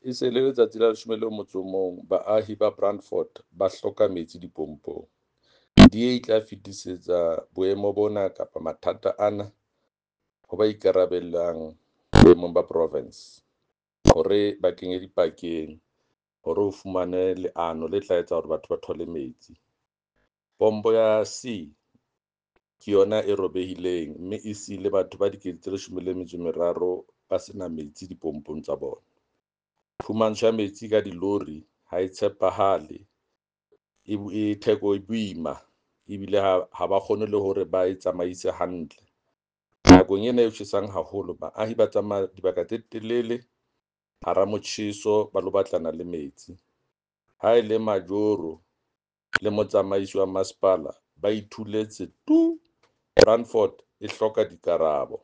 E se le letsatsi la 11 baahi ba Brandfort ba hloka metsi dipompong. DA e tla fetisetsa boemo bona kapa mathata ana ho ba ikarabellang boemong ba province hore ba kenye dipakeng hore o fumane leano le tla etsa hore batho ba thole metsi. Pompo ya C ke yona e robehileng mme e siile batho ba 13 000 ba sena metsi dipompong tsa bona. Phumantsho ya metsi ka dilori ha e tshepahale, e theko e boima ebile ha ba kgone le hore ba e tsamaise hantle. Nakong ena e tjhesang haholo, baahi ba tsamaya dibaka tse telele hara motjheso ba lo batlana le metsi. Ha e le majoro le motsamaisi wa masepala ba itholetse tu! Brandfort e hloka dikarabo.